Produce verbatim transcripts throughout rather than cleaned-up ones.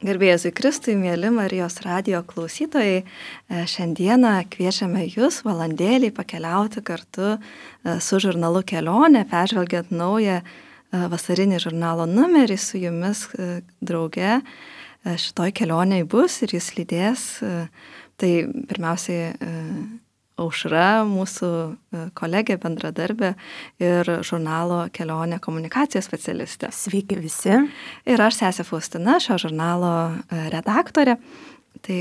Garbėjai Kristui, mėly Marijos radijo klausytojai, šiandieną kviečiame Jūs valandėlį pakeliauti kartu su žurnalu Kelionė, peržvelgiant naują vasarinį žurnalo numerį su Jumis drauge. Šitoj kelionėj bus ir Jūs lydės. Tai pirmiausiai Aušra, mūsų kolegė, bendradarbė ir žurnalo Kelionė komunikacijos specialistė. Sveiki visi. Ir aš, sesė Faustina, šio žurnalo redaktorė. Tai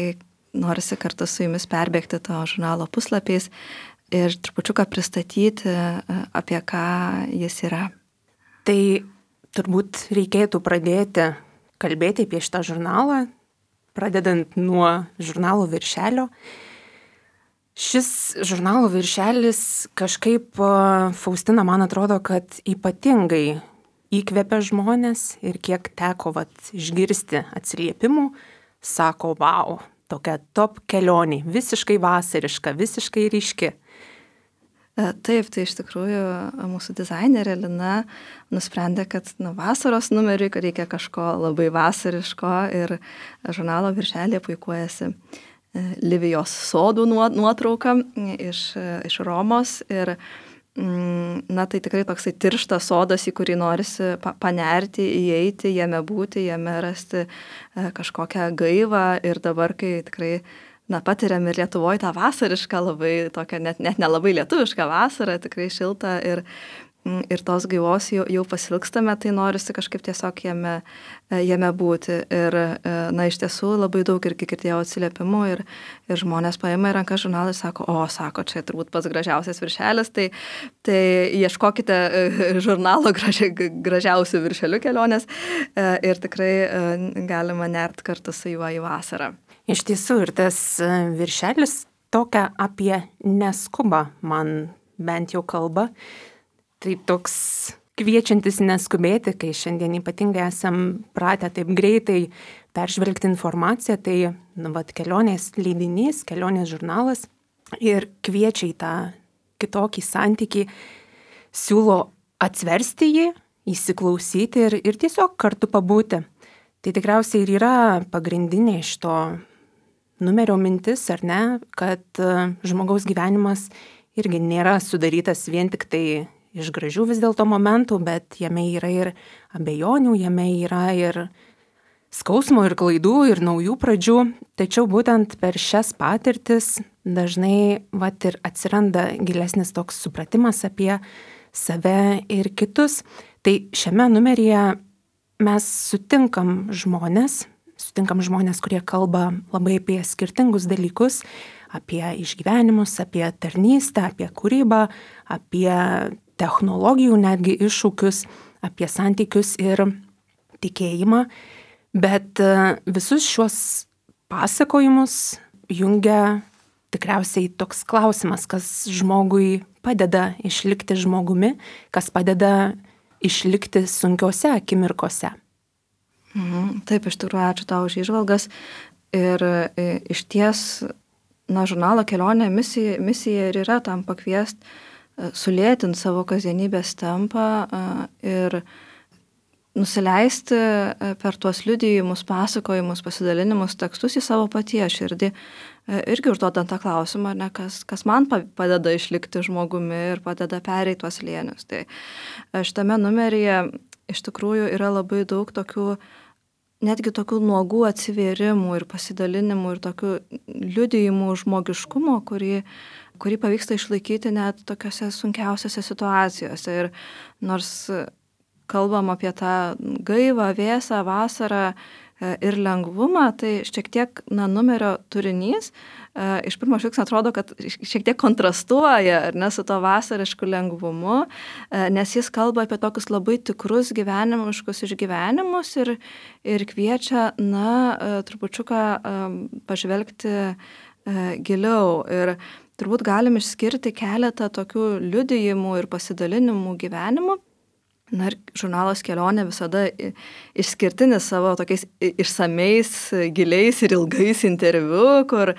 norisi kartu su Jumis perbėgti to žurnalo puslapiais ir trupučiuką pristatyti, apie ką jis yra. Tai turbūt reikėtų pradėti kalbėti apie šitą žurnalą, pradedant nuo žurnalo viršelio. Šis žurnalo viršelis kažkaip, Faustina, man atrodo, kad ypatingai įkvepia žmonės ir kiek teko vat, išgirsti atsiliepimų, sako, vau, tokia top kelionė, visiškai vasariška, visiškai ryški. Taip, tai iš tikrųjų mūsų dizainerė Lina nusprendė, kad nu, vasaros numeriui, kad reikia kažko labai vasariško ir žurnalo viršelėje puikuojasi Livijos sodų nuotrauka iš, iš Romos ir na, tai tikrai toksai tirštas sodas, į kurį norisi panerti, įeiti, jame būti, jame rasti kažkokią gaivą ir dabar, kai tikrai na, patiriam ir Lietuvoje tą vasarišką labai, tokią net, net nelabai lietuvišką vasarą, tikrai šiltą ir ir tos gaivos jau, jau pasilgstame, tai norisi kažkaip tiesiog jame, jame būti. Ir, na, iš tiesų labai daug irgi girdėjau atsiliepimų ir, ir žmonės paima į ranką žurnalą ir sako, o, sako, čia turbūt pats gražiausias viršelis, tai, tai ieškokite žurnalo graži, gražiausių viršelių kelionės ir tikrai galima nert kartu su juo į vasarą. Iš tiesų, ir tas viršelis tokia apie neskubą man bent jau kalba. Tai toks kviečiantis neskubėti, kai šiandien ypatingai esam pratę taip greitai peržvelgti informaciją, tai nu, vat, kelionės leidinys, kelionės žurnalas ir kviečia į tą kitokį santykį, siūlo atsversti jį, įsiklausyti ir, ir tiesiog kartu pabūti. Tai tikriausiai ir yra pagrindinė šito numerio mintis, ar ne, kad žmogaus gyvenimas irgi nėra sudarytas vien tik tai iš gražių vis dėlto momentų, bet jame yra ir abejonių, jame yra ir skausmo, ir klaidų, ir naujų pradžių. Tačiau būtent per šias patirtis dažnai vat, ir atsiranda gilesnis toks supratimas apie save ir kitus. Tai šiame numeryje mes sutinkam žmonės, sutinkam žmonės, kurie kalba labai apie skirtingus dalykus, apie išgyvenimus, apie tarnystę, apie kūrybą, apie technologijų netgi iššūkius, apie santykius ir tikėjimą. Bet visus šios pasakojimus jungia tikriausiai toks klausimas, kas žmogui padeda išlikti žmogumi, kas padeda išlikti sunkiose akimirkose. Mhm, taip, iš tikrųjų, ačiū tau už įžvalgas. Ir iš ties, na, žurnalo Kelionė misija, misija ir yra tam pakviest sulėtinti savo kasdienybės tempą ir nusileisti per tuos liudijimus, pasakojimus, pasidalinimus, tekstus į savo paties širdį. Irgi užduodant tą klausimą, ne, kas, kas man padeda išlikti žmogumi ir padeda pereiti tuos slėnius. Tai šitame numeryje iš tikrųjų yra labai daug tokių, netgi tokių nuogų atsivėrimų ir pasidalinimų ir tokių liudijimų žmogiškumo, kurį kurį pavyksta išlaikyti net tokiose sunkiausiose situacijose. Ir nors kalbam apie tą gaivą, vėsą, vasarą ir lengvumą, tai šiek tiek na, numerio turinys iš pirmo žvilgsnio atrodo, kad šiek tiek kontrastuoja ar ne, su to vasarišku lengvumu, nes jis kalba apie tokius labai tikrus gyvenimiškus išgyvenimus ir, ir kviečia, na, trupučiuką pažvelgti giliau. Ir turbūt galim išskirti keletą tokių liudijimų ir pasidalinimų gyvenimų. Na ir žurnalas Kelionė visada išskirtinis savo tokiais išsamiais, giliais ir ilgais interviu, kur,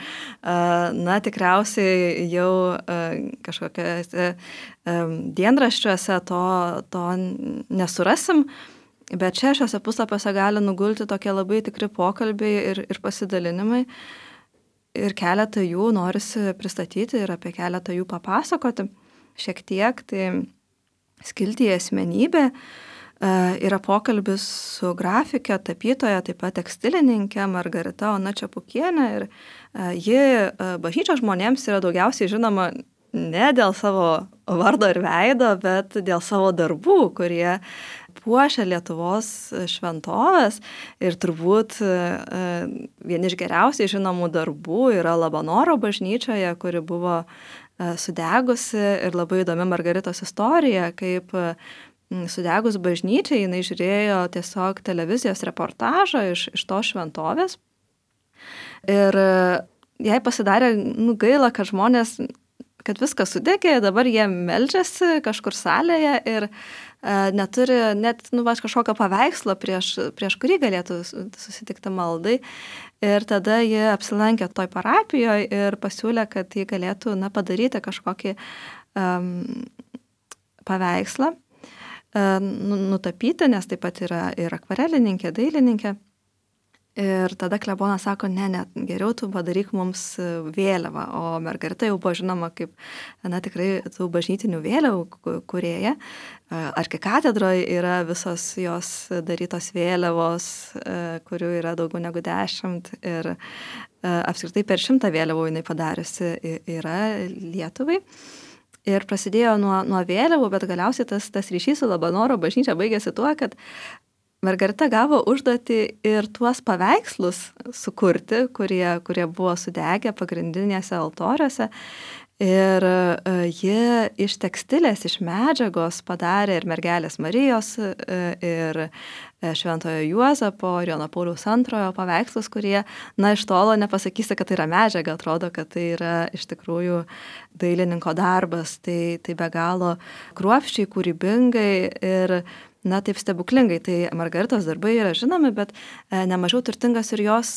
na, tikriausiai jau kažkokiuose dienraščiuose to, to nesurasim. Bet čia šiuose puslapiuose gali nugulti tokie labai tikri pokalbiai ir, ir pasidalinimai. Ir keletą jų norisi pristatyti ir apie keletą jų papasakoti šiek tiek. Tai skiltyje asmenybė yra pokalbis su grafikė, tapytoja, taip pat tekstilininkė Margarita Ona Čepukienė. Ir ji bažnyčios žmonėms yra daugiausiai žinoma ne dėl savo vardo ir veido, bet dėl savo darbų, kurie puošia Lietuvos šventoves. Ir turbūt vieni iš geriausiai žinomų darbų yra Labanoro bažnyčioje, kuri buvo sudegusi, ir labai įdomi Margaritos istorija, kaip sudegus bažnyčiai jinai žiūrėjo tiesiog televizijos reportažą iš, iš to šventovės. Ir jai pasidarė nu, gaila, kad žmonės, kad viskas sudegė, dabar jie meldžiasi kažkur salėje ir neturi net nu, va, kažkokio paveikslo, prieš, prieš kurį galėtų susitikti maldai. Ir tada jie apsilankė toj parapijoje ir pasiūlė, kad jie galėtų na, padaryti kažkokį um, paveikslą, uh, nutapyti, nes taip pat yra ir akvarelininkė, dailininkė. Ir tada klebonas sako, ne, ne, geriau tu padaryk mums vėliavą. O Margarita jau buvo žinoma kaip, na, tikrai tų bažnytinių vėliavų kūrėja. Arkikatedroje yra visos jos darytos vėliavos, kurių yra daugiau negu dešimt. Ir apskritai per šimtą vėliavų jinai padariusi yra Lietuvai. Ir prasidėjo nuo, nuo vėliavų, bet galiausiai tas, tas ryšys su Labanoro bažnyčia baigėsi tuo, kad Margarita gavo užduotį ir tuos paveikslus sukurti, kurie, kurie buvo sudegę pagrindinėse altoriuose. Ir ji iš tekstilės, iš medžiagos padarė ir mergelės Marijos, ir Šventojo Juozapo, ir Jono Pauliaus antrojo paveikslus, kurie, na, iš tolo nepasakysi, kad tai yra medžiaga, atrodo, kad tai yra iš tikrųjų dailininko darbas. Tai, tai be galo kruopščiai, kūrybingai ir na, taip stebuklingai. Tai Margaritos darbai yra žinomi, bet nemažiau turtingas ir jos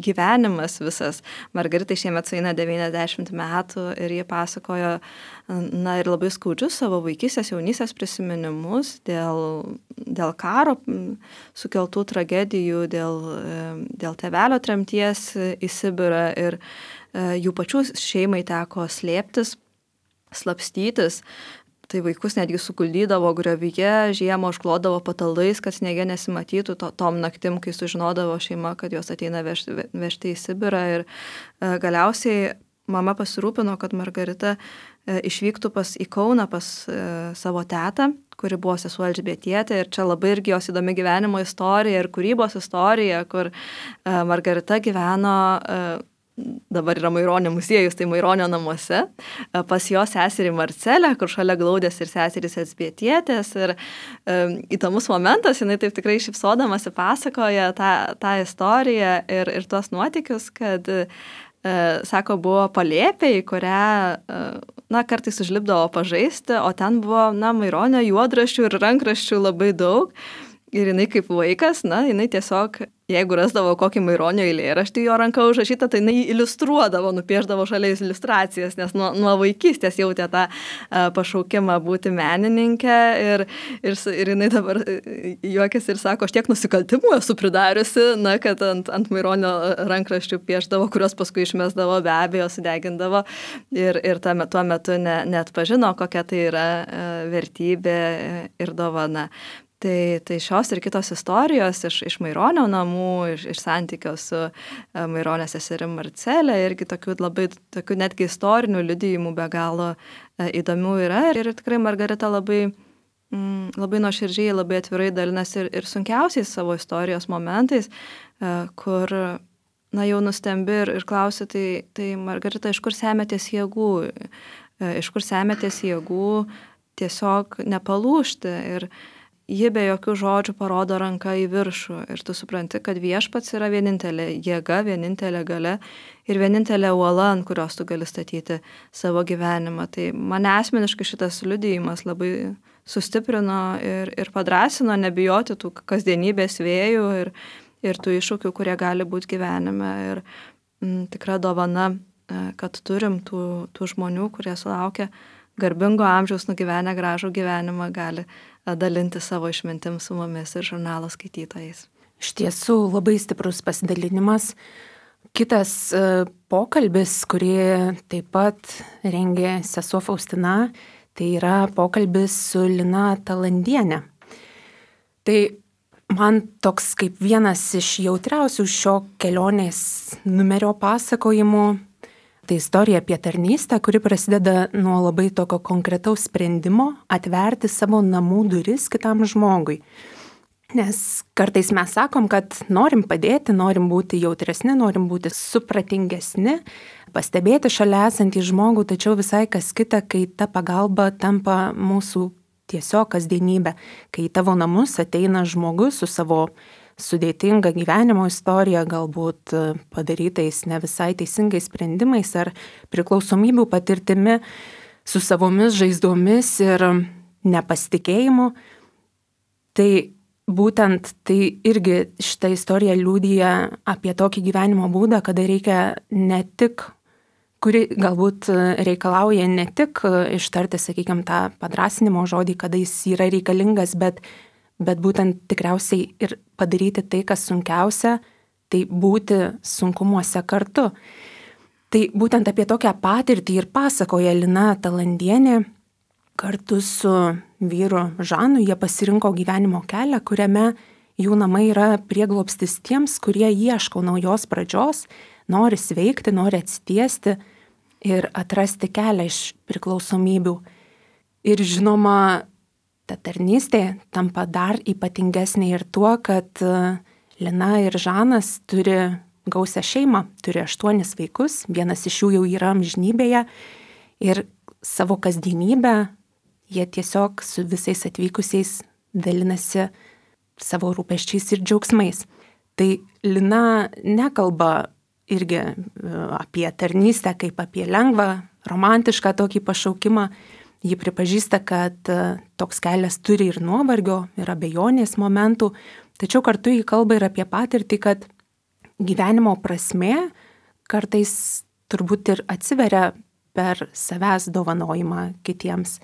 gyvenimas visas. Margaritai šiemet sueina devyniasdešimt metų ir jie pasakojo, na, ir labai skaudžius savo vaikystės, jaunystės prisiminimus dėl, dėl karo sukeltų tragedijų, dėl, dėl tėvelio tremties į Sibirą, ir jų pačių šeimai teko slėptis, slapstytis. Tai vaikus netgi suguldydavo griovyje, žiemą užklodavo patalais, kad sniege nesimatytų to, tom naktim, kai sužinodavo šeima, kad jos ateina vežti, vežti į Sibirą. Ir e, galiausiai mama pasirūpino, kad Margarita e, išvyktų pas, į Kauną pas e, savo tetą, kuri buvo sesuo Elžbietietė. Ir čia labai irgi jos įdomi gyvenimo istorija ir kūrybos istorija, kur e, Margarita gyveno e, dabar yra Maironio muziejus, tai Maironio namuose, pas jo seserį Marcelę, kur šalia glaudės ir seserys Elžbietietės. Ir e, įdomus momentas, jinai taip tikrai šypsodamasi pasakoja tą, tą istoriją ir, ir tuos nuotykius, kad, e, sako, buvo palėpė, į kurią, e, na, kartais užlipdavo pažaisti, o ten buvo, na, Maironio juodraščių ir rankraščių labai daug. Ir jinai kaip vaikas, na, jinai tiesiog, jeigu rasdavo kokį Maironio eilėraštį jo ranka užrašytą, tai jinai iliustruodavo, nupiešdavo šalia iliustracijas, nes nuo, nuo vaikystės jautė tą a, pašaukimą būti menininkė. Ir, ir, ir jinai dabar juokiasi ir sako, aš tiek nusikaltimų esu pridariusi, na, kad ant, ant Maironio rankraščių piešdavo, kurios paskui išmesdavo, be abejo, sudegindavo. Ir, ir tuo, tuo metu ne, net pažino, kokia tai yra a, vertybė ir dovana. Tai, tai šios ir kitos istorijos iš, iš Maironio namų, iš, iš santykio su Maironio seserim Marcelė, irgi tokių labai, tokių netgi istorinių liudijimų be galo įdomių yra. Ir, ir tikrai Margarita labai, mm, labai nuoširdžiai, labai atvirai dalinasi ir, ir sunkiausiais savo istorijos momentais, kur, na, jau nustembi ir, ir klausi, tai, tai Margarita, iš kur semiatės jėgų, iš kur semiatės jėgų tiesiog nepalūžti. Ir ji be jokių žodžių parodo ranką į viršų ir tu supranti, kad viešpats yra vienintelė jėga, vienintelė galia ir vienintelė uola, ant kurios tu gali statyti savo gyvenimą. Tai mane asmeniškai šitas liudijimas labai sustiprino ir, ir padrasino nebijoti tų kasdienybės vėjų ir, ir tų iššūkių, kurie gali būti gyvenime. Ir m, tikra dovana, kad turim tų, tų žmonių, kurie sulaukia garbingo amžiaus, nugyvenę gražų gyvenimą, gali dalinti savo išmintim su mumis ir žurnalo skaitytojais. Iš tiesų labai stiprus pasidalinimas. Kitas pokalbis, kurį taip pat rengė sesuo Faustina, tai yra pokalbis su Lina Talandiene. Tai man toks kaip vienas iš jautriausių šio kelionės numerio pasakojimų, tai istorija apie tarnystę, kuri prasideda nuo labai tokio konkretaus sprendimo atverti savo namų duris kitam žmogui. Nes kartais mes sakom, kad norim padėti, norim būti jautresni, norim būti supratingesni, pastebėti šalia esantį žmogų, tačiau visai kas kita, kai ta pagalba tampa mūsų tiesiog kasdienybė, kai į tavo namus ateina žmogus su savo sudėtinga gyvenimo istorija, galbūt padarytais ne visai teisingais sprendimais ar priklausomybių patirtimi, su savomis žaizdomis ir nepasitikėjimu. Tai būtent tai irgi šitą istoriją liudija apie tokį gyvenimo būdą, kada reikia ne tik, kuri galbūt reikalauja ne tik ištarti, sakykime, tą padrąsinimo žodį, kada jis yra reikalingas, bet, bet būtent tikriausiai ir padaryti tai, kas sunkiausia, tai būti sunkumuose kartu. Tai būtent apie tokią patirtį ir pasakoja Lina Talandienė. Kartu su vyru Žanu jie pasirinko gyvenimo kelią, kuriame jų namai yra prieglobstis tiems, kurie ieško naujos pradžios, nori sveikti, nori atsitiesti ir atrasti kelią iš priklausomybių. Ir žinoma, ta tarnystė tampa dar ypatingesnė ir tuo, kad Lina ir Žanas turi gausią šeimą, turi aštuonis vaikus, vienas iš jų jau yra amžinybėje ir savo kasdienybę jie tiesiog su visais atvykusiais dalinasi savo rūpesčiais ir džiaugsmais. Tai Lina nekalba irgi apie tarnystę kaip apie lengvą, romantišką tokį pašaukimą. Ji pripažįsta, kad toks kelias turi ir nuovargio, ir abejonės momentų, tačiau kartu ji kalba ir apie patirtį, kad gyvenimo prasmė kartais turbūt ir atsiveria per savęs dovanojimą kitiems.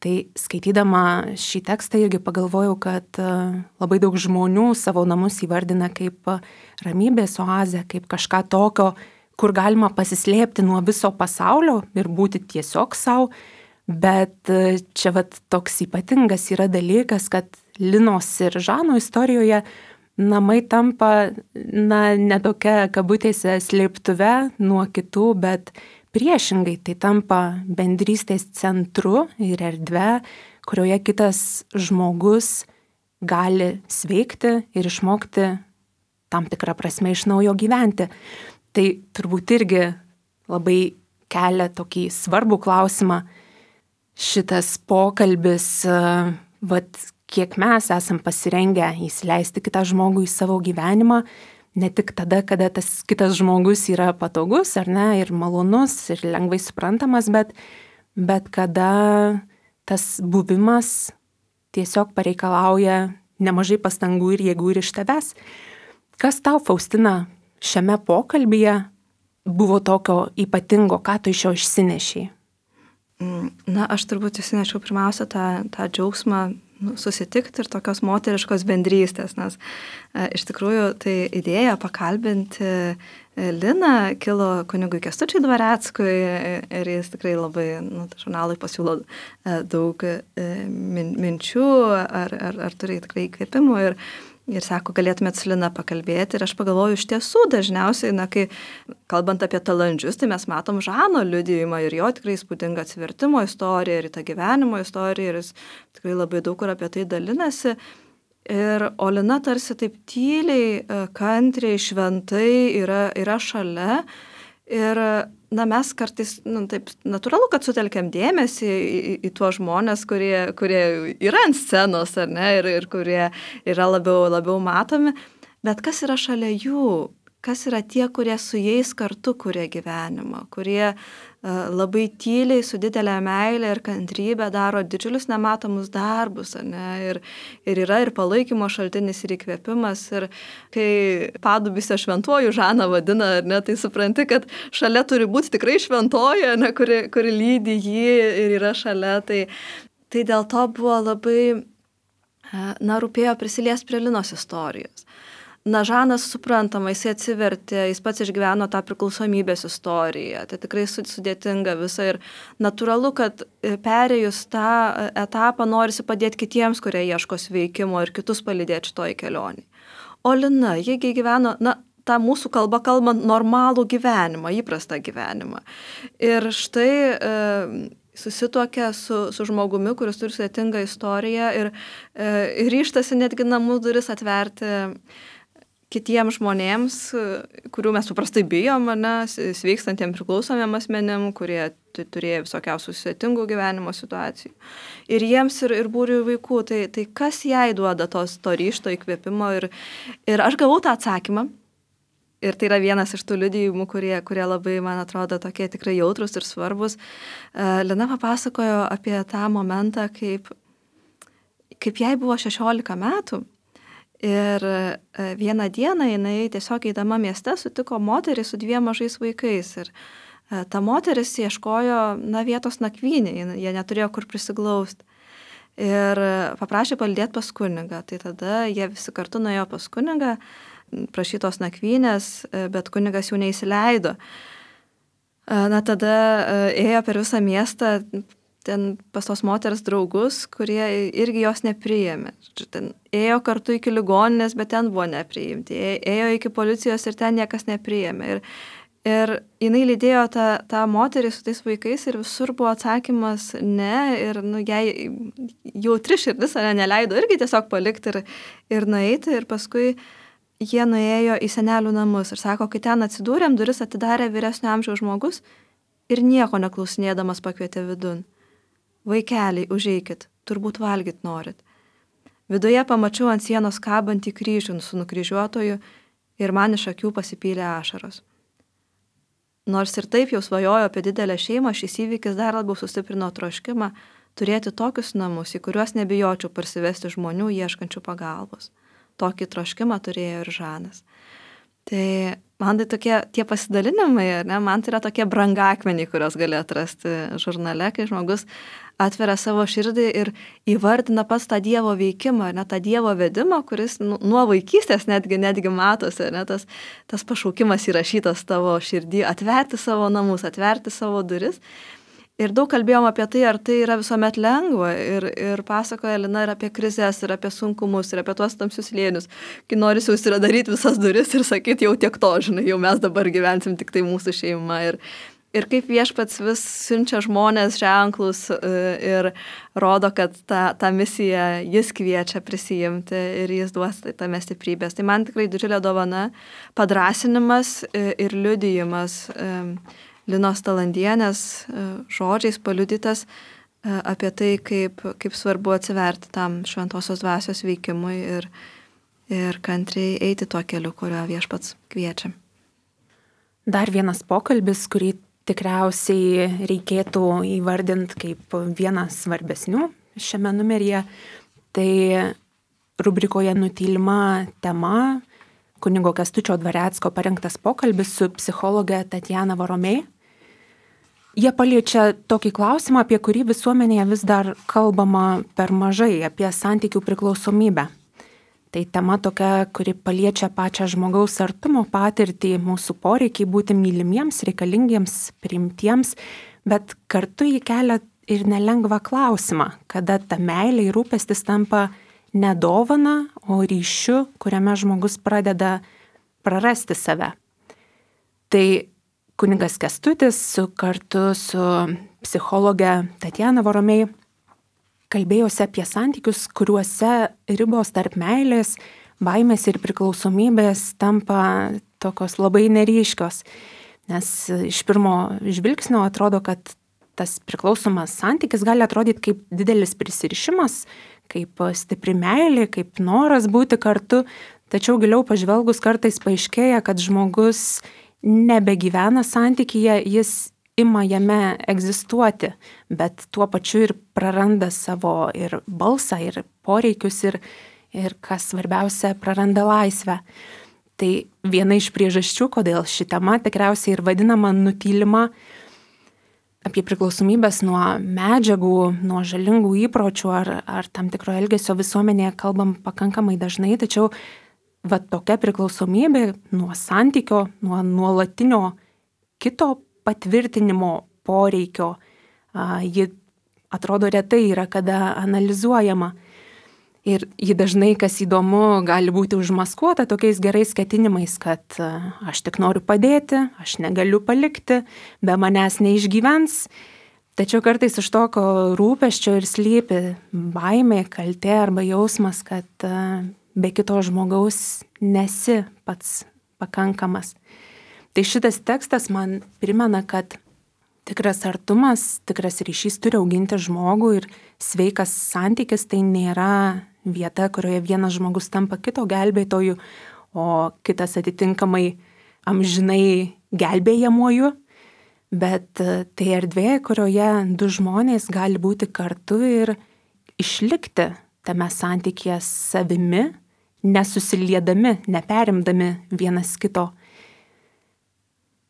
Tai skaitydama šį tekstą irgi pagalvojau, kad labai daug žmonių savo namus įvardina kaip ramybės oazę, kaip kažką tokio, kur galima pasislėpti nuo viso pasaulio ir būti tiesiog savo. Bet čia vat toks ypatingas yra dalykas, kad Linos ir Žano istorijoje namai tampa, na, ne tokia kabutėse slėptuve nuo kitų, bet priešingai tai tampa bendrystės centru ir erdve, kurioje kitas žmogus gali sveikti ir išmokti tam tikrą prasme iš naujo gyventi. Tai turbūt irgi labai kelia tokį svarbų klausimą šitas pokalbis, vat, kiek mes esam pasirengę įsileisti kitą žmogų į savo gyvenimą, ne tik tada, kada tas kitas žmogus yra patogus, ar ne, ir malonus, ir lengvai suprantamas, bet, bet kada tas buvimas tiesiog pareikalauja nemažai pastangų ir jėgų ir iš tavęs. Kas tau, Faustina, šiame pokalbyje buvo tokio ypatingo, ką tu iš jo išsinešiai? Na, aš turbūt išsinešiau pirmiausia tą, tą džiaugsmą nu, susitikti ir tokios moteriškos bendrystės, nes e, iš tikrųjų tai idėja pakalbinti e, Liną kilo kunigui Kęstučiui Dvareckui ir jis tikrai labai nu, žurnalui pasiūlo e, daug e, min, minčių ar, ar, ar turi tikrai įkvėpimų ir Ir sako, galėtumėt su Lina pakalbėti. Ir aš pagalvoju, iš tiesų dažniausiai, na, kai kalbant apie Talandžius, tai mes matom Žano liudijimą ir jo tikrai įspūdingą atsivertimo istoriją ir tą gyvenimo istoriją. Ir jis tikrai labai daug kur apie tai dalinasi. Ir o Lina tarsi taip tyliai, kantriai, šventai yra, yra šalia. Ir na, mes kartais, nu, taip natūralu, kad sutelkiam dėmesį į, į, į tuos žmonės, kurie, kurie yra ant scenos, ar ne, ir, ir kurie yra labiau, labiau matomi, bet kas yra šalia jų, kas yra tie, kurie su jais kartu kuria gyvenimą, kurie uh, labai tyliai su didelė meilė ir kantrybė daro didžiulius nematomus darbus, ar ne, ir, ir yra ir palaikymo šaltinis, ir įkvėpimas, ir kai padubysio šventuoju Žaną vadina, ar ne, tai supranti, kad šalia turi būti tikrai šventoji, ar ne, kuri, kuri lydi jį ir yra šalia, tai, tai dėl to buvo labai na, rūpėjo prisiliesti prie Linos istorijos. Na, Žanas suprantama, jis atsivertė, jis pats išgyveno tą priklausomybės istoriją, tai tikrai sudėtinga visa ir natūralu, kad perėjus tą etapą norisi padėti kitiems, kurie ieško sveikimo ir kitus palydėti šitoj kelionį. O Lina, jiegi gyveno, na, tą mūsų kalbą kalbant normalų gyvenimą, įprastą gyvenimą. Ir štai e, susituokia su, su žmogumi, kuris turi sudėtingą istoriją ir e, ryštasi netgi namų duris atverti kitiems žmonėms, kurių mes paprastai bijom, ne, sveikstantiem priklausomiem asmenėm, kurie turėjo visokiausių sudėtingų gyvenimo situacijų. Ir jiems ir, ir būriui vaikų, tai, tai kas jai duoda tos, to ryžto įkvėpimo. Ir, ir aš gavau tą atsakymą. Ir tai yra vienas iš tų liudijimų, kurie, kurie labai, man atrodo, tokie tikrai jautrus ir svarbus. Lina papasakojo apie tą momentą, kaip, kaip jai buvo šešiolika metų. Ir vieną dieną jinai tiesiog eidama mieste sutiko moterį su dviem mažais vaikais. Ir ta moteris ieškojo, na, vietos nakvynė, jie neturėjo kur prisiglausti. Ir paprašė palydėti pas kunigą. Tai tada jie visi kartu nuėjo pas kunigą, prašytos nakvynės, bet kunigas jų neįsileido. Na, tada ėjo per visą miestą ten pas tos moters draugus, kurie irgi jos nepriėmė. Ten ėjo kartu iki ligoninės, bet ten buvo nepriimti. Ėjo iki policijos ir ten niekas nepriėmė. Ir, ir jinai lydėjo tą, tą moterį su tais vaikais ir visur buvo atsakymas ne. Ir nu, jai jautri širdis ne, neleido irgi tiesiog palikti ir, ir nueiti. Ir paskui jie nuėjo į senelių namus. Ir sako, kai ten atsidūrėm, duris atidarė vyresnio amžiaus žmogus ir nieko neklausinėdamas pakvietė vidun. Vaikeliai, užeikit, turbūt valgyt norit. Viduje pamačiau ant sienos kabantį kryžių su nukryžiuotoju ir man iš akių pasipylė ašaros. Nors ir taip jau svajojo apie didelę šeimą, šis įvykis dar labiau sustiprino troškimą turėti tokius namus, į kuriuos nebijočiau parsivesti žmonių ieškančių pagalbos. Tokį troškimą turėjo ir Žanas. Tai man tai tokie tie pasidalinimai, ne, man tai yra tokie brangakmeniai, kurios gali atrasti žurnale, kai žmogus atveria savo širdį ir įvardina pats tą Dievo veikimą, ne, tą Dievo vedimą, kuris nu, nuo vaikystės netgi, netgi matosi, ne, tas, tas pašaukimas įrašytas tavo širdį, atverti savo namus, atverti savo duris. Ir daug kalbėjom apie tai, ar tai yra visuomet lengva. Ir, ir pasakoja Lina ir apie krizes, ir apie sunkumus, ir apie tuos tamsius slėnius. Kai norisi užsidaryti visas duris ir sakyti, jau tiek to, žinai, jau mes dabar gyvensim tik tai mūsų šeima. Ir, ir kaip Viešpats vis siunčia žmonės ženklus ir rodo, kad tą, tą misiją jis kviečia prisijimti ir jis duos tame stiprybės. Tai man tikrai didžiulė dovana, padrąsinimas ir liudijimas Linos Talandienės žodžiais paliudytas apie tai, kaip, kaip svarbu atsiverti tam šventosios dvasios veikimui ir, ir kantriai eiti tuo keliu, kurio Viešpats kviečia. Dar vienas pokalbis, kurį tikriausiai reikėtų įvardinti kaip vieną svarbesnių šiame numeryje, tai rubrikoje Nutylima tema kunigo Kęstučio Dvarecko parengtas pokalbis su psichologe Tatjana Voromei. Jie paliečia tokį klausimą, apie kurį visuomenėje vis dar kalbama per mažai, apie santykių priklausomybę. Tai tema tokia, kuri paliečia pačią žmogaus artumo patirtį, mūsų poreikiai būti mylimiems, reikalingiems, priimtiems, bet kartu jį kelia ir nelengvą klausimą, kada ta meilė ir rūpestis tampa ne dovana, o ryšiu, kuriame žmogus pradeda prarasti save. Tai kunigas Kęstutis su, kartu su psichologe Tatjana Voromei kalbėjosi apie santykius, kuriuose ribos tarp meilės, baimės ir priklausomybės tampa tokios labai neryškios. Nes iš pirmo žvilgsnio atrodo, kad tas priklausomas santykis gali atrodyti kaip didelis prisirišimas, kaip stipri meilė, kaip noras būti kartu, tačiau giliau pažvelgus kartais paaiškėja, kad žmogus nebegyvena santykyje, jis ima jame egzistuoti, bet tuo pačiu ir praranda savo ir balsą, ir poreikius, ir, ir kas svarbiausia, praranda laisvę. Tai viena iš priežasčių, kodėl ši tema tikriausiai ir vadinama nutylima, apie priklausomybės nuo medžiagų, nuo žalingų įpročių ar, ar tam tikro elgesio visuomenėje kalbam pakankamai dažnai, tačiau va tokia priklausomybė nuo santykio, nuo nuolatinio kito patvirtinimo poreikio, ji atrodo retai yra kada analizuojama. Ir ji dažnai, kas įdomu, gali būti užmaskuota tokiais gerais ketinimais, kad aš tik noriu padėti, aš negaliu palikti, be manęs neišgyvens. Tačiau kartais iš tokio rūpesčio ir slypi baimė, kaltė arba jausmas, kad be kito žmogaus nesi pats pakankamas. Tai šitas tekstas man primena, kad tikras artumas, tikras ryšys turi auginti žmogų ir sveikas santykis tai nėra vieta, kurioje vienas žmogus tampa kito gelbėtoju, o kitas atitinkamai amžinai gelbėjamuoju, bet tai erdvė, kurioje du žmonės gali būti kartu ir išlikti tame santykyje savimi, nesusiliedami, neperimdami vienas kito.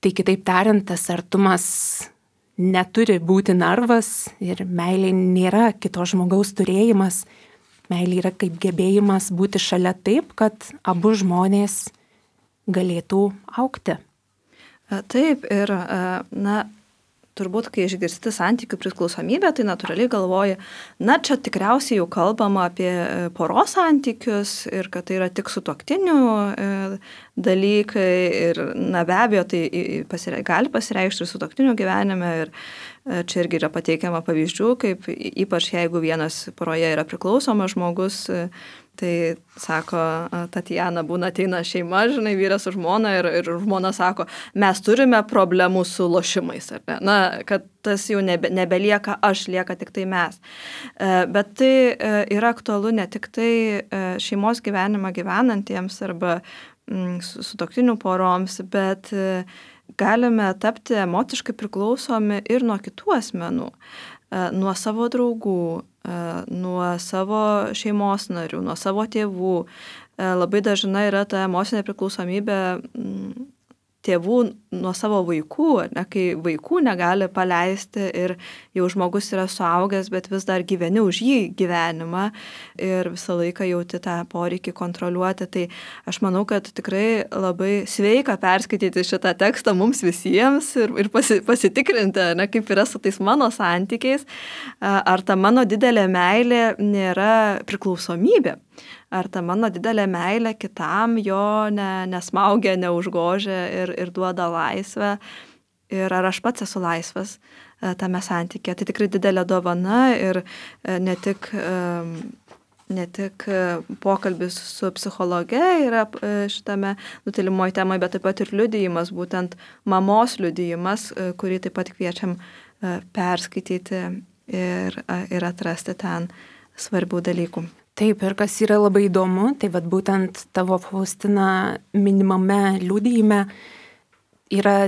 Tai kitaip tariant, tas artumas neturi būti narvas ir meilė nėra kito žmogaus turėjimas. Meilė yra kaip gebėjimas būti šalia taip, kad abu žmonės galėtų augti. Taip, ir na, turbūt, kai išgirsti santykių priklausomybę, tai natūraliai galvoji, na, čia tikriausiai jau kalbama apie poros santykius ir kad tai yra tik sutuoktinių dalykai ir, na, be abejo, tai pasire, gali pasireikšti ir sutuoktinių gyvenime ir čia irgi yra pateikiama pavyzdžių, kaip ypač jeigu vienas poroje yra priklausomas žmogus, tai sako, Tatjana, būna ateina šeima, žinai, vyras su žmona ir, ir žmona sako, mes turime problemų su lošimais, ar ne? Na, kad tas jau nebe, nebelieka aš, lieka tik tai mes. Bet tai yra aktualu ne tik tai šeimos gyvenimą gyvenantiems arba sutuoktinių poroms, bet galime tapti emociškai priklausomi ir nuo kitų asmenų, nuo savo draugų, nuo savo šeimos narių, nuo savo tėvų. Labai dažnai yra ta emocinė priklausomybė tėvų nuo savo vaikų, ne, kai vaikų negali paleisti ir jau žmogus yra suaugęs, bet vis dar gyveni už jį gyvenimą ir visą laiką jauti tą poreikį kontroliuoti. Tai aš manau, kad tikrai labai sveika perskaityti šitą tekstą mums visiems ir, ir pasi, pasitikrinti, ne, kaip yra su tais mano santykiais, ar ta mano didelė meilė nėra priklausomybė. Ar ta mano didelė meilė kitam jo ne, nesmaugia, neužgožia ir, ir duoda laisvę. Ir ar aš pats esu laisvas tame santykė. Tai tikrai didelė dovana ir ne tik, ne tik pokalbis su psichologe yra šitame nutilimoje temoje, bet taip pat ir liudijimas, būtent mamos liudijimas, kurį taip pat kviečiam perskaityti ir, ir atrasti ten svarbių dalykų. Taip, ir kas yra labai įdomu, tai vat būtent tavo, Faustina, minimame liudijime yra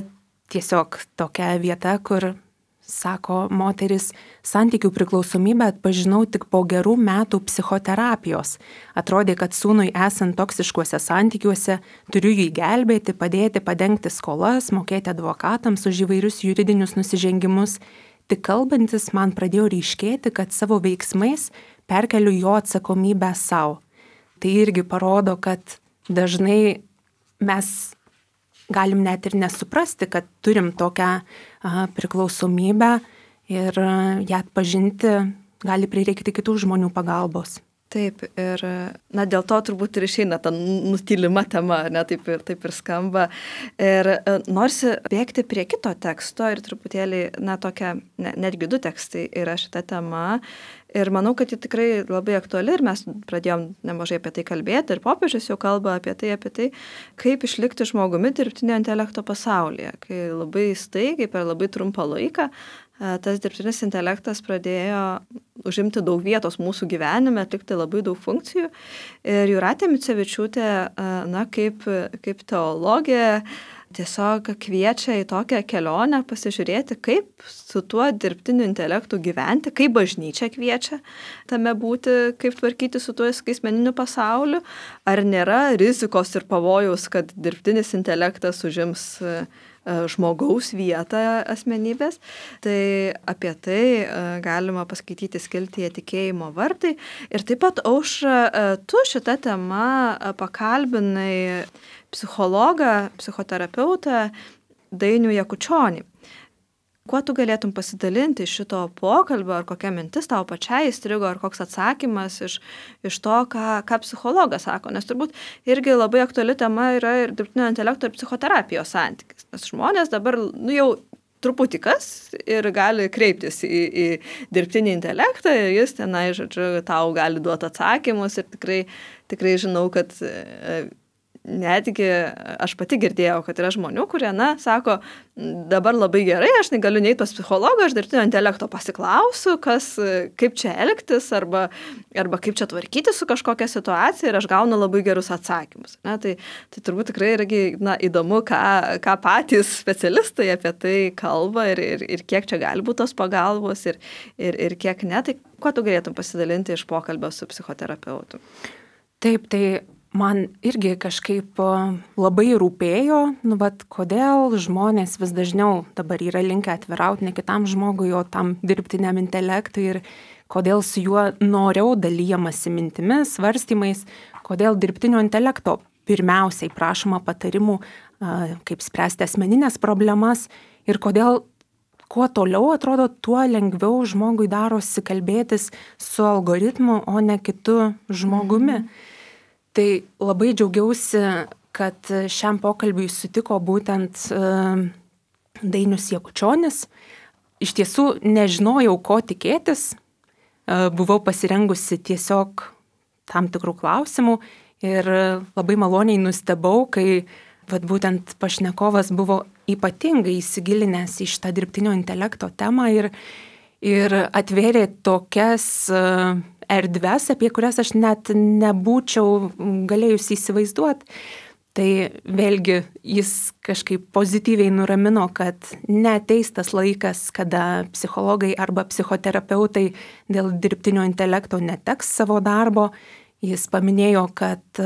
tiesiog tokia vieta, kur, sako moteris, santykių priklausomybę atpažinau tik po gerų metų psichoterapijos. Atrodė, kad sūnui esant toksiškuose santykiuose turiu jį gelbėti, padėti, padengti skolas, mokėti advokatams už įvairius juridinius nusižengimus. Tik kalbantis man pradėjo ryškėti, kad savo veiksmais perkeliu jo atsakomybę savo. Tai irgi parodo, kad dažnai mes galim net ir nesuprasti, kad turim tokią a, priklausomybę ir a, ją atpažinti gali prireikti kitų žmonių pagalbos. Taip, ir na, dėl to turbūt ir išeina ta nutylima tema, ne, taip ir, taip ir skamba. Ir norisi bėgti prie kito teksto ir truputėlį, na, tokia, ne, netgi du tekstai yra šita tema. Ir manau, kad ji tikrai labai aktuali ir mes pradėjom nemažai apie tai kalbėti ir popiežius jau kalba apie tai, apie tai, kaip išlikti žmogumi dirbtinio intelekto pasaulyje, kai labai staigiai per labai trumpą laiką tas dirbtinis intelektas pradėjo užimti daug vietos mūsų gyvenime, atlikti labai daug funkcijų. Ir Jūratė Micevičiūtė, na, kaip, kaip teologė, tiesiog kviečia į tokią kelionę pasižiūrėti, kaip su tuo dirbtiniu intelektu gyventi, kaip bažnyčia kviečia tame būti, kaip tvarkyti su tuo skaitmeniniu pasauliu, ar nėra rizikos ir pavojaus, kad dirbtinis intelektas užims žmogaus vietą asmenybės. Tai apie tai galima paskaityti skiltyje Tikėjimo vartai. Ir taip pat, Aušra, tu šitą temą pakalbinai psichologą, psichoterapeutą Dainių Jakučionį. Kuo tu galėtum pasidalinti iš šito pokalbio, ar kokia mintis tau pačiai įstrigo, ar koks atsakymas iš, iš to, ką, ką psichologas sako? Nes turbūt irgi labai aktuali tema yra ir dirbtinio intelekto ir psichoterapijos santykis. Nes žmonės dabar nu, jau truputį kas ir gali kreiptis į, į dirbtinį intelektą ir jis tenai, žodžiu, tau gali duoti atsakymus ir tikrai, tikrai žinau, kad netgi aš pati girdėjau, kad yra žmonių, kurie, na, sako, dabar labai gerai, aš negaliu neiti pas psichologą, aš dirbtinio intelekto pasiklausiu, kas, kaip čia elgtis, arba, arba kaip čia tvarkyti su kažkokia situacija ir aš gaunu labai gerus atsakymus. Ne? Tai, tai turbūt tikrai irgi, na, įdomu, ką, ką patys specialistai apie tai kalba ir, ir, ir kiek čia gali būti tos pagalbos ir, ir, ir kiek ne. Tai kuo tu galėtum pasidalinti iš pokalbio su psichoterapeutu? Taip, tai man irgi kažkaip labai rūpėjo, nu, bet kodėl žmonės vis dažniau dabar yra linkę atvirauti ne kitam žmogui, o tam dirbtiniam intelektui ir kodėl su juo noriau dalyjamasi mintimis, svarstymais, kodėl dirbtinio intelekto pirmiausiai prašoma patarimų, kaip spręsti asmeninės problemas ir kodėl kuo toliau atrodo, tuo lengviau žmogui darosi kalbėtis su algoritmu, o ne kitu žmogumi. Mm. Tai labai džiaugiausi, kad šiam pokalbiui sutiko būtent Dainius Jakučionis. Iš tiesų nežinojau, ko tikėtis. Buvau pasirengusi tiesiog tam tikrų klausimų ir labai maloniai nustebau, kai vat, būtent pašnekovas buvo ypatingai įsigilinęs į šitą dirbtinio intelekto temą ir, ir atvėrė tokias erdves, apie kurias aš net nebūčiau galėjusi įsivaizduoti. Tai vėlgi jis kažkaip pozityviai nuramino, kad neateis tas laikas, kada psichologai arba psichoterapeutai dėl dirbtinio intelekto neteks savo darbo. Jis paminėjo, kad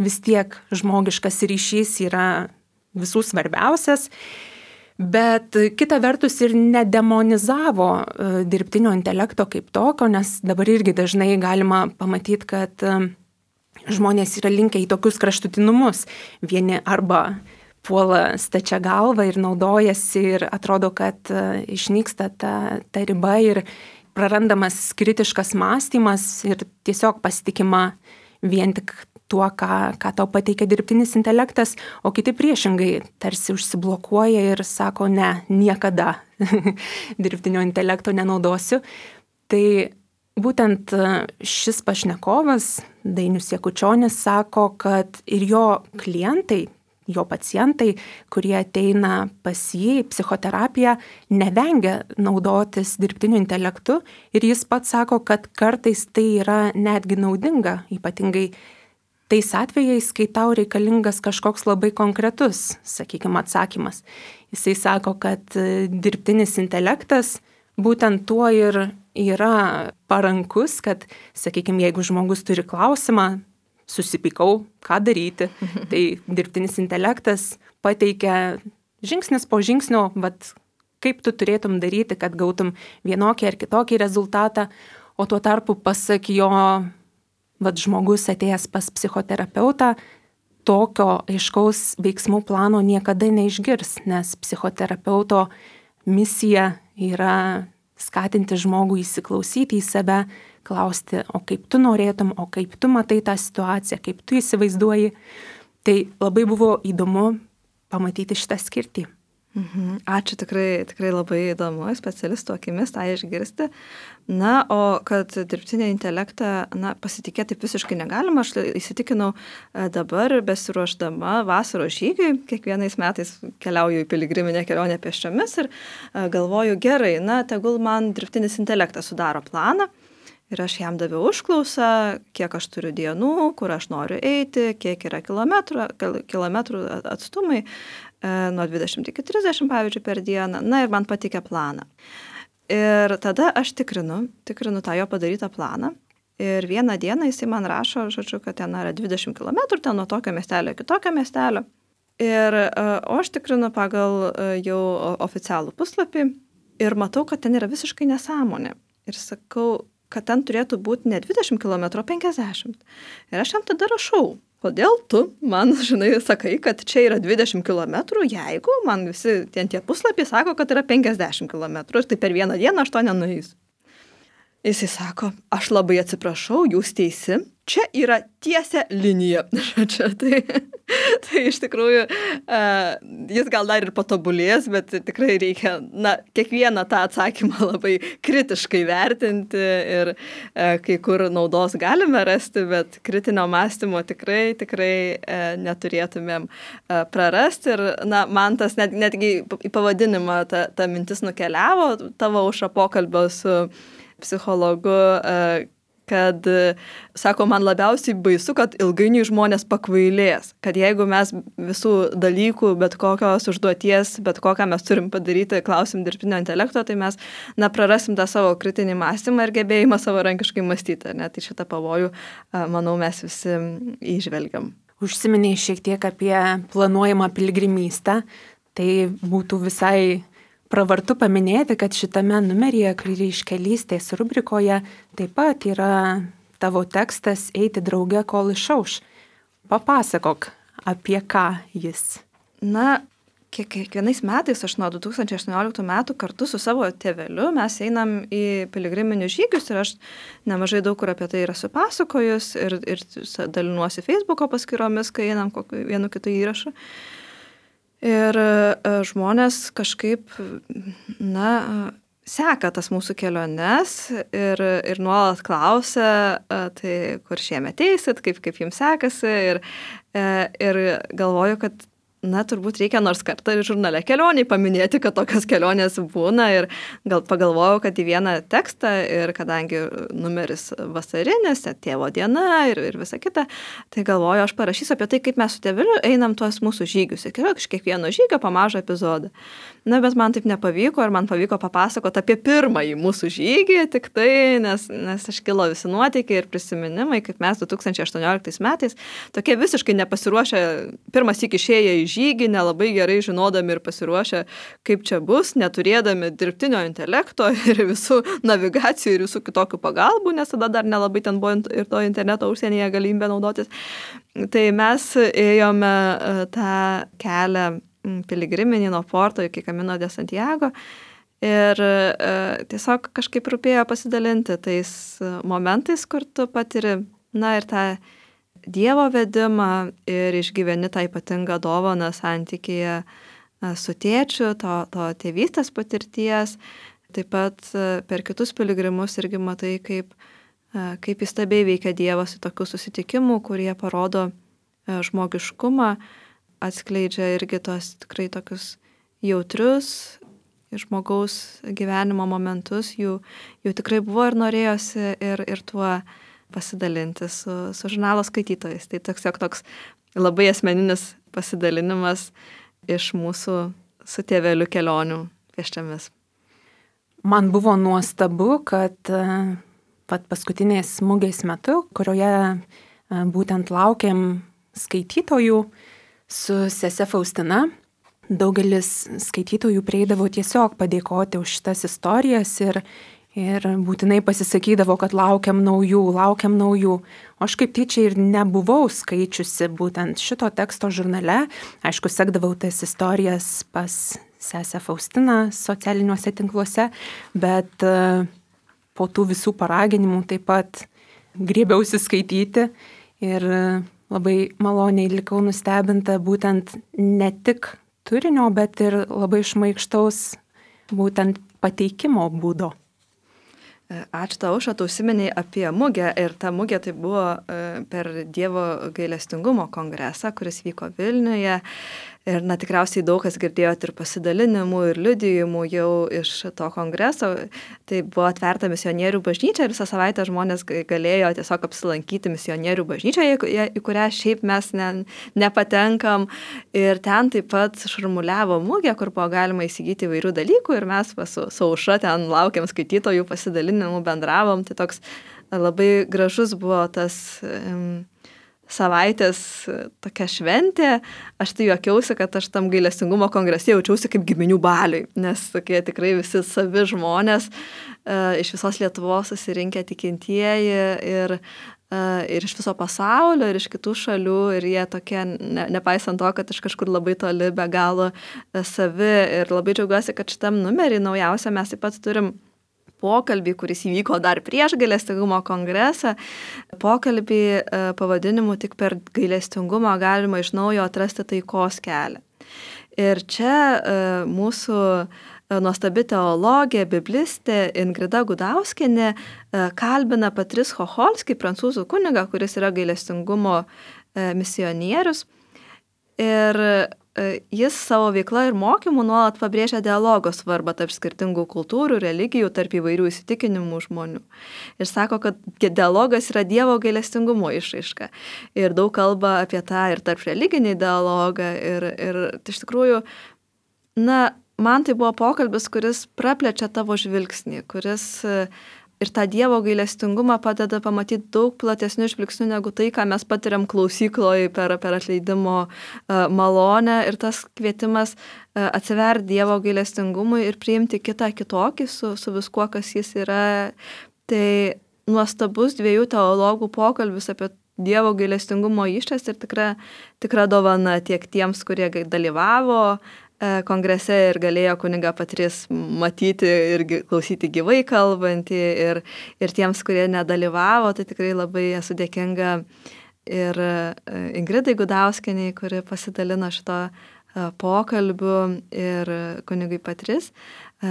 vis tiek žmogiškas ryšys yra visų svarbiausias, bet kita vertus ir nedemonizavo dirbtinio intelekto kaip tokio, nes dabar irgi dažnai galima pamatyti, kad žmonės yra linkę į tokius kraštutinumus. Vieni arba puola stačia galva ir naudojasi ir atrodo, kad išnyksta ta, ta riba ir prarandamas kritiškas mąstymas ir tiesiog pasitikima vien tik tuo, ką, ką tau pateikia dirbtinis intelektas, o kiti priešingai tarsi užsiblokuoja ir sako, ne, niekada dirbtinio intelekto nenaudosiu. Tai būtent šis pašnekovas, Dainius Jakučionis, sako, kad ir jo klientai, jo pacientai, kurie ateina pas jį į psichoterapiją, nevengia naudotis dirbtiniu intelektu ir jis pats sako, kad kartais tai yra netgi naudinga, ypatingai tais atvejais, kai tau reikalingas kažkoks labai konkretus, sakykime, atsakymas. Jisai sako, kad dirbtinis intelektas būtent tuo ir yra parankus, kad, sakykime, jeigu žmogus turi klausimą, susipykau, ką daryti, tai dirbtinis intelektas pateikia žingsnis po žingsnio, bet kaip tu turėtum daryti, kad gautum vienokį ar kitokį rezultatą, o tuo tarpu pasak jo, vat žmogus atėjęs pas psichoterapeutą, tokio aiškaus veiksmų plano niekada neišgirs, nes psichoterapeuto misija yra skatinti žmogų įsiklausyti į save, klausti, o kaip tu norėtum, o kaip tu matai tą situaciją, kaip tu įsivaizduoji. Tai labai buvo įdomu pamatyti šitą skirtį. Mhm. Ačiū, tikrai, tikrai labai įdomu, specialistų akimis tą išgirsti. Na, o kad dirbtinį intelektą na, pasitikėti taip visiškai negalima, aš įsitikinau dabar besiruošdama vasaros žygiui, kiekvienais metais keliauju į piligriminę kelionę pėsčiomis ir galvoju, gerai, na, tegul man dirbtinis intelektas sudaro planą. Ir aš jam daviau užklausą, kiek aš turiu dienų, kur aš noriu eiti, kiek yra kilometrų, kilometrų atstumai, nuo dvidešimt iki trisdešimt, pavyzdžiui, per dieną. Na ir man patikė planą. Ir tada aš tikrinu, tikrinu tą jo padarytą planą. Ir vieną dieną jisai man rašo, žodžiu, kad ten yra dvidešimt kilometrų, ten nuo tokio miestelio iki tokio miestelio. Ir o aš tikrinu pagal jau oficialų puslapį ir matau, kad ten yra visiškai nesąmonė. Ir sakau, kad ten turėtų būti ne dvidešimt kilometrų, o penkiasdešimt. Ir aš jam tada rašau, kodėl tu man, žinai, sakai, kad čia yra dvidešimt kilometrų, jeigu man visi ten tie puslapiai sako, kad yra penkiasdešimt kilometrų ir tai per vieną dieną aš to nenueisiu. Jisai sako, aš labai atsiprašau, jūs teisi, čia yra tiesia linija. Čia, tai, tai iš tikrųjų uh, jis gal dar ir patobulės, bet tikrai reikia na, kiekvieną tą atsakymą labai kritiškai vertinti ir uh, kai kur naudos galime rasti, bet kritinio mąstymo tikrai, tikrai uh, neturėtumėm uh, prarasti. Ir na, man tas net, netgi į pavadinimą ta, ta mintis nukeliavo, tavo Aušra pokalbio su psichologu, kad, sako, man labiausiai baisu, kad ilgainiui žmonės pakvailės, kad jeigu mes visų dalykų, bet kokios užduoties, bet kokią mes turim padaryti, klausim dirbtinio intelekto, tai mes, na, prarasim tą savo kritinį mąstymą ir gebėjimą savarankiškai mąstyti, ne? Tai šitą pavojų, manau, mes visi įžvelgiam. Užsiminėjai šiek tiek apie planuojamą piligrimystę, tai būtų visai pravartu paminėti, kad šitame numeryje Kryžkelystės rubrikoje taip pat yra tavo tekstas Eiti drauge, kol išauš. Papasakok, apie ką jis. Na, kiekvienais metais, aš nuo du tūkstančiai aštuonioliktų metų kartu su savo tėveliu mes einam į piligriminius žygius ir aš nemažai daug kur apie tai yra supasakojus ir, ir dalinuosi Facebooko paskyromis, kai einam kokiu vienu kitu įrašu. Ir žmonės kažkaip, na, seka tas mūsų keliones ir, ir nuolat klausia, tai kur šiemet eisit, kaip, kaip jums sekasi. Ir, ir galvoju, kad, na, turbūt reikia nors kartą ir žurnale Kelioniai paminėti, kad tokios kelionės būna. Ir gal pagalvojau, kad į vieną tekstą ir kadangi numeris vasarinis, tėvo diena ir, ir visa kita, tai galvoju, aš parašysiu apie tai, kaip mes su tėveliu einam tuos mūsų žygius. Ir iš kiekvieno žygio po mažą epizodą. Na, bet man taip nepavyko ir man pavyko papasakoti apie pirmąjį mūsų žygį, tik tai, nes, nes iškilo visi nuotykiai ir prisiminimai, kaip mes du tūkstančiai aštuonioliktais metais tokie visiškai nepasiruošę, pirmas iki išėję į žygį, nelabai gerai žinodami ir pasiruošę, kaip čia bus, neturėdami dirbtinio intelekto ir visų navigacijų ir visų kitokių pagalbų, nes tada dar nelabai ten buvo ir to interneto užsienyje galimybė naudotis. Tai mes ėjome tą kelią piligriminį nuo Porto iki Camino de Santiago ir tiesiog kažkaip rūpėjo pasidalinti tais momentais, kur tu patiri, na, ir tą Dievo vedimą ir išgyveni tą ypatingą dovaną santykyje su tėčiu, to, to tėvystės patirties. Taip pat per kitus piligrimus irgi matai, kaip, kaip įstabiai veikia Dievas į tokių susitikimų, kurie parodo žmogiškumą, atskleidžia irgi tos tikrai tokius jautrius žmogaus gyvenimo momentus, jų, jų tikrai buvo ir norėjosi ir, ir tuo pasidalinti su, su žurnalo skaitytojais. Tai toks, toks labai asmeninis pasidalinimas iš mūsų su tėveliu kelionių pėsčiomis. Man buvo nuostabu, kad pat paskutinės mugės metu, kurioje būtent laukiam skaitytojų su sese Faustina, daugelis skaitytojų prieidavo tiesiog padėkoti už šitas istorijas ir Ir būtinai pasisakydavo, kad laukiam naujų, laukiam naujų. O aš kaip tyčia ir nebuvau skaičiusi būtent šito teksto žurnale. Aišku, sekdavau tas istorijas pas sesę Faustiną socialiniuose tinkluose, bet po tų visų paraginimų taip pat griebiausi skaityti ir labai maloniai likau nustebinta būtent ne tik turinio, bet ir labai šmaikštaus būtent pateikimo būdo. Ačiū tau, Aušra, tu užsiminei apie mugę ir ta mugė tai buvo per Dievo gailestingumo kongresą, kuris vyko Vilniuje. Ir na, tikriausiai daug kas girdėjote ir pasidalinimų, ir liudijimų jau iš to kongreso. Tai buvo atverta misionierių bažnyčia ir visą savaitę žmonės galėjo tiesiog apsilankyti misionierių bažnyčioje, į kurią šiaip mes ne, nepatenkam. Ir ten taip pat šurmuliavo mugė, kur buvo galima įsigyti įvairių dalykų ir mes su, su Aušra ten laukiam skaitytojų pasidalinimų, bendravom. Tai toks labai gražus buvo tas um, savaitės tokia šventė, aš tai juokiausi, kad aš tam gailestingumo kongrese jaučiausi kaip giminių baliui, nes tokie tikrai visi savi žmonės iš visos Lietuvos susirinkę tikintieji ir, ir iš viso pasaulio, ir iš kitų šalių, ir jie tokie, ne, nepaisant to, kad iš kažkur labai toli be galo savi, ir labai džiaugiuosi, kad šitam numerį naujausia mes taip pat turim pokalbį, kuris įvyko dar prieš gailestingumo kongresą, pokalbį pavadinimu tik per gailestingumą galima iš naujo atrasti taikos kelią. Ir čia mūsų nuostabi teologė, biblistė Ingrida Gudauskienė kalbina Patrice Chocholskį, prancūzų kunigą, kuris yra gailestingumo misionierius. Ir jis savo veikla ir mokymu nuolat pabrėžia dialogo svarbą tarp skirtingų kultūrų, religijų, tarp įvairių įsitikinimų žmonių. Ir sako, kad dialogas yra Dievo gailestingumo išraiška. Ir daug kalba apie tą ir tarp religinį dialogą. Ir, ir iš tikrųjų, na, man tai buvo pokalbis, kuris praplečia tavo žvilgsnį, kuris ir tą Dievo gailestingumą padeda pamatyti daug platesnių žvilgsnių negu tai, ką mes patiriam klausykloje per, per atleidimo malonę, ir tas kvietimas atsiverti Dievo gailestingumui ir priimti kitą kitokį su, su viskuo, kas jis yra. Tai nuostabus dviejų teologų pokalbis apie Dievo gailestingumo išraišką ir tikra, tikra dovana tiek tiems, kurie dalyvavo kongrese ir galėjo kunigą Patrice matyti ir klausyti gyvai kalbantį, ir, ir tiems, kurie nedalyvavo, tai tikrai labai esu dėkinga ir Ingridai Gudauskienei, kuri pasidalino šito pokalbiu, ir kunigui Patrice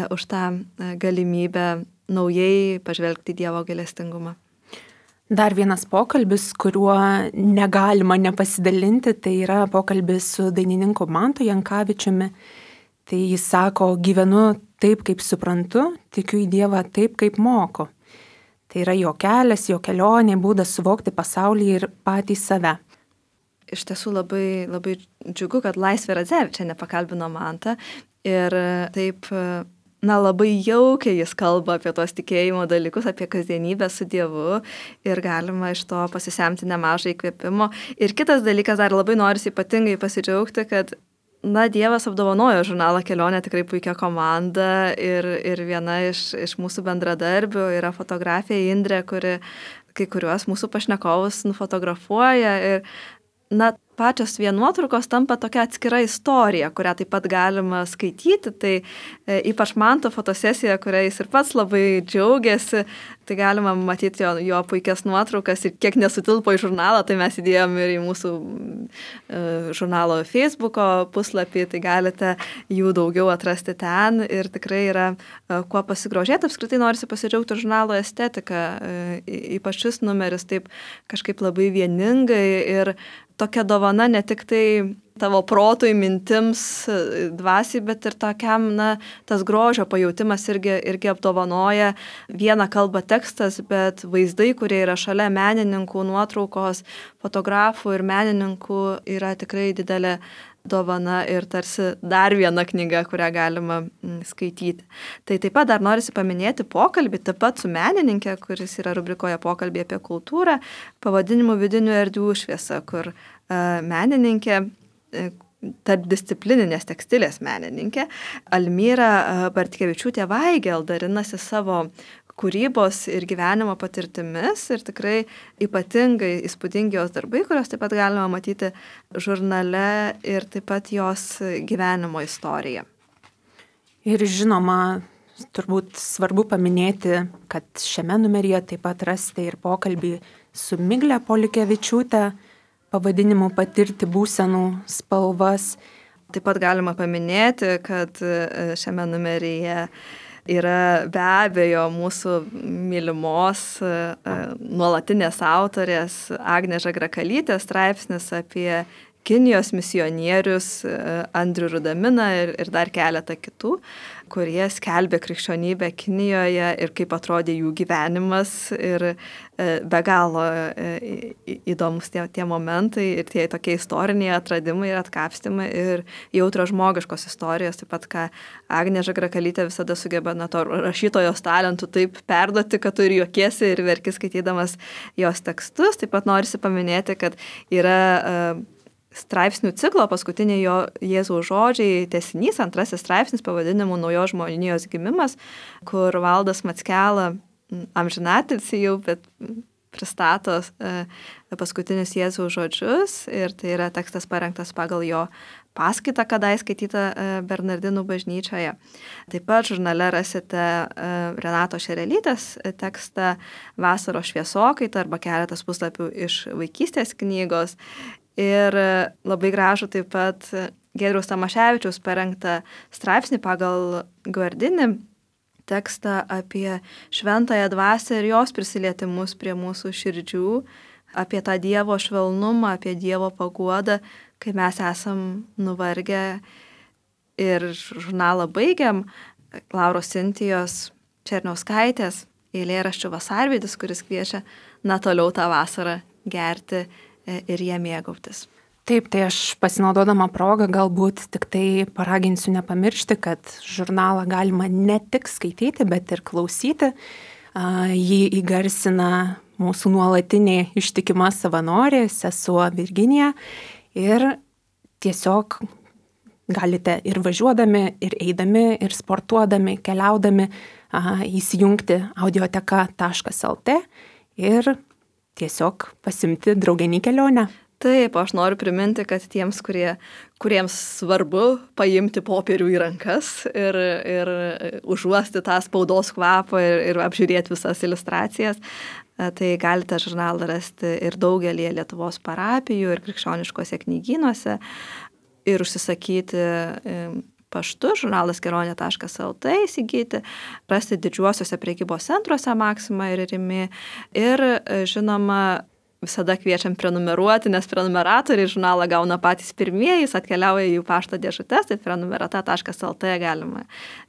už tą galimybę naujai pažvelgti Dievo gailestingumą. Dar vienas pokalbis, kuriuo negalima nepasidalinti, tai yra pokalbis su dainininku Mantu Jankavičiumi. Tai jis sako, gyvenu taip, kaip suprantu, tikiu į Dievą taip, kaip moku. Tai yra jo kelias, jo kelionė, būdas suvokti pasaulį ir patį save. Iš tiesų labai, labai džiugu, kad Laisvė Radzevičienė pakalbino Mantą ir taip, na, labai jaukiai jis kalba apie tos tikėjimo dalykus, apie kasdienybę su Dievu, ir galima iš to pasisemti nemažai įkvėpimo. Ir kitas dalykas, dar labai norisi ypatingai pasidžiaugti, kad, na, Dievas apdovanojo žurnalą Kelionė tikrai puikia komanda, ir, ir viena iš, iš mūsų bendradarbių yra fotografė Indrė, kuri kai kuriuos mūsų pašnekovus nufotografuoja, ir, na, pačios vien nuotraukos tampa tokia atskira istorija, kurią taip pat galima skaityti. Tai e, ypač Manto fotosesija, kuria jis ir pats labai džiaugiasi, tai galima matyti jo, jo puikias nuotraukas, ir kiek nesutilpo į žurnalą, tai mes įdėjom ir į mūsų e, žurnalo Facebooko puslapį, tai galite jų daugiau atrasti ten, ir tikrai yra e, kuo pasigrožėti. Apskritai norisi pasidžiaugti žurnalo estetiką, e, ypač šis numeris taip kažkaip labai vieningai, ir tokia dovana ne tik tai tavo protui, mintims, dvasiai, bet ir tokiam, na, tas grožio pajautimas irgi, irgi apdovanoja. Viena kalba tekstas, bet vaizdai, kurie yra šalia menininkų, nuotraukos, fotografų ir menininkų, yra tikrai didelė dovana ir tarsi dar viena knyga, kurią galima skaityti. Tai taip pat dar norisi paminėti pokalbį, taip pat su menininkė, kuris yra rubrikoje pokalbį apie kultūrą, pavadinimu Vidinių erdvių šviesa, kur uh, menininkė, uh, tarpdisciplininės tekstilės menininkė Almyra uh, Bartkevičiūtė Vaigel dalinasi savo kūrybos ir gyvenimo patirtimis, ir tikrai ypatingai įspūdingi jos darbai, kurios taip pat galima matyti žurnale, ir taip pat jos gyvenimo istorija. Ir žinoma, turbūt svarbu paminėti, kad šiame numeryje taip pat rasite ir pokalbį su Migle Polikevičiūte pavadinimu Patirti būsenų spalvas. Taip pat galima paminėti, kad šiame numeryje yra be abejo mūsų mylimos nuolatinės autorės Agnės Žagrakalytės straipsnis apie Kinijos misionierius Andrių Rudaminą ir, ir dar keletą kitų, kurie skelbė krikščionybę Kinijoje ir kaip atrodė jų gyvenimas ir be galo įdomus tie, tie momentai ir tie tokie istoriniai atradimai ir atkapstymai ir jautros žmogiškos istorijos, taip pat ką Agnė Žagrakalytė visada sugeba na, to rašytojos talentų taip perduoti, kad tu ir juokiesi ir verki skaitydamas jos tekstus. Taip pat norisi paminėti, kad yra uh, straipsnių ciklo paskutiniai jo Jėzaus žodžiai tęsinys, antrasis straipsnis pavadinimu Naujos žmonijos gimimas, kur Valdas Mackela, amžinatilsį jau, bet pristato paskutinius Jėzaus žodžius ir tai yra tekstas parengtas pagal jo paskaitą, kadai skaitytą Bernardinų bažnyčioje. Taip pat žurnale rasite Renato Šerelytės tekstą Vasaros šviesokaita arba keletas puslapių iš vaikystės knygos. Ir labai gražų taip pat Giedriaus Tamaševičiaus parengtą straipsnį pagal Guardinį tekstą apie šventąją dvasią ir jos prisilietimus prie mūsų širdžių, apie tą Dievo švelnumą, apie Dievo paguodą, kai mes esam nuvargę. Ir žurnalą baigiam Lauros Sintijos Černiauskaitės eilėraščių Vasarvidis, kuris kviečia na toliau tą vasarą gerti ir jie mėgautis. Taip, tai aš pasinaudodama progą galbūt tik tai paraginsiu nepamiršti, kad žurnalą galima ne tik skaityti, bet ir klausyti. Jį įgarsina mūsų nuolatinė ištikima savanorė, sesuo Virginija. Ir tiesiog galite ir važiuodami, ir eidami, ir sportuodami, keliaudami įsijungti audioteka taškas lt ir tiesiog pasimti draugenį kelionę. Taip, aš noriu priminti, kad tiems, kurie, kuriems svarbu paimti popierių į rankas ir, ir užuosti tą spaudos kvapą ir, ir apžiūrėti visas iliustracijas, tai galite žurnalą rasti ir daugelį Lietuvos parapijų ir krikščioniškose knygynuose ir užsisakyti paštu žurnalas kelionė taškas lt įsigyti, rasti didžiuosiuose prekybos centruose Maxima ir Rimi ir žinoma visada kviečiam prenumeruoti, nes prenumeratoriai žurnalą gauna patys pirmieji, jis atkeliauja į jų pašto dėžutes, tai prenumerata taškas lt galima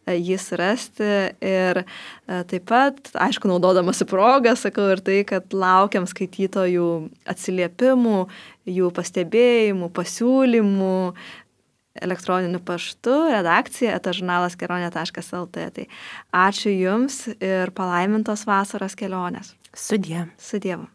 jį surasti ir taip pat, aišku, naudodamasi progą, sakau ir tai, kad laukiam skaitytojų atsiliepimų, jų pastebėjimų, pasiūlymų, elektroniniu paštu, redakcija eta žurnalas kelionė taškas lt. Tai ačiū Jums ir palaimintos vasaros kelionės. Sudie. Su Dievu.